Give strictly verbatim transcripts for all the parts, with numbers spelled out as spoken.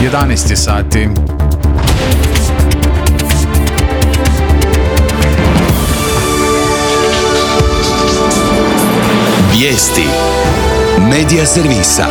jedanaest sati. Vijesti Medija servisa.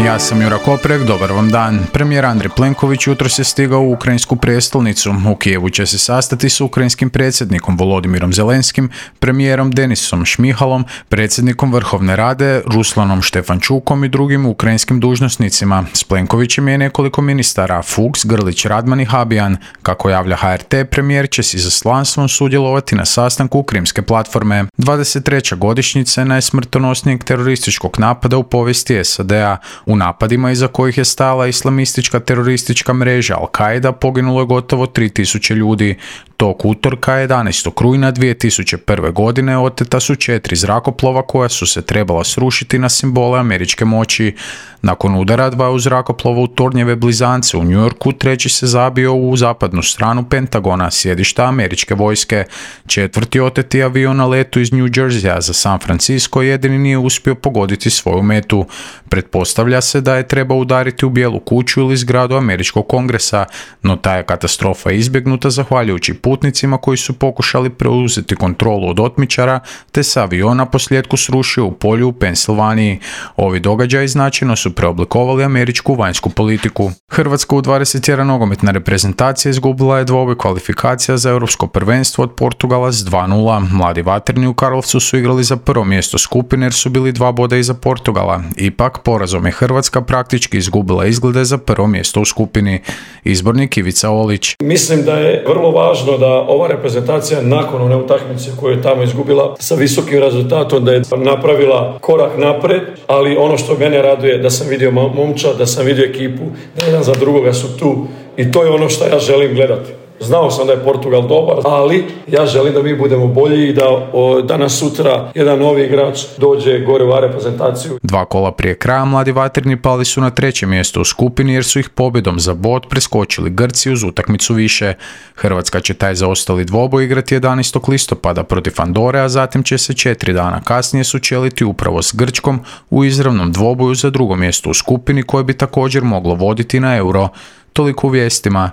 Ja sam Jura Koprek, dobar vam dan. Premijer Andrej Plenković jutros je stigao u ukrajinsku prijestolnicu. U Kijevu će se sastati s ukrajinskim predsjednikom Volodimirom Zelenskim, premijerom Denisom Šmihalom, predsjednikom Vrhovne Rade Ruslanom Štefančukom i drugim ukrajinskim dužnosnicima. S Plenkovićem je nekoliko ministara, Fuchs, Grlić, Radman i Habijan. Kako javlja H R T, premijer će s izaslanstvom sudjelovati na sastanku Krimske platforme. dvadeset treća godišnjica je najsmrtonosnijeg terorističkog napada u povijesti S A D-a. U napadima iza kojih je stajala islamistička teroristička mreža Al-Qaida poginulo je gotovo tri tisuće ljudi. Tog utorka jedanaestog rujna dvije tisuće prve. godine oteta su četiri zrakoplova koja su se trebala srušiti na simbole američke moći. Nakon udara dvaju zrakoplova u Tornjeve blizance u New Yorku, treći se zabio u zapadnu stranu Pentagona, sjedišta američke vojske. Četvrti oteti avion na letu iz New Jerseya za San Francisco jedini nije uspio pogoditi svoju metu. Pretpostavlja se da je trebao udariti u Bijelu kuću ili zgradu američkog kongresa, no ta je katastrofa izbjegnuta zahvaljujući putnicima koji su pokušali preuzeti kontrolu od otmičara, te se avion posljedku srušio u polju u Pensilvaniji. Ovi događaji značajno su preoblikovali američku vanjsku politiku. Hrvatska u dvadeset jedan nogometna reprezentacija izgubila je dvoboj kvalifikacija za europsko prvenstvo od Portugala s dva nula. Mladi vatreni u Karlovcu su igrali za prvo mjesto skupine jer su bili dva boda iza Portugala. Ipak, porazom je Hrvatska praktički izgubila izglede za prvo mjesto u skupini. Izbornik Ivica Olić. Mislim da je vrlo važno da ova reprezentacija nakon one utakmice koju je tamo izgubila sa visokim rezultatom, da je napravila korak napred, ali ono što mene raduje da sam vidio momčad, da sam vidio ekipu, da jedan za drugoga su tu i to je ono što ja želim gledati. Znao sam da je Portugal dobar, ali ja želim da mi budemo bolji i da o, danas sutra jedan novi igrač dođe gore u reprezentaciju. Dva kola prije kraja mladi vatreni pali su na treće mjesto u skupini jer su ih pobjedom za bod preskočili Grci uz utakmicu više. Hrvatska će taj zaostali dvoboj igrati jedanaestog listopada protiv Andore, a zatim će se četiri dana kasnije sučeliti upravo s Grčkom u izravnom dvoboju za drugo mjesto u skupini koje bi također moglo voditi na Euro. Toliko u vijestima.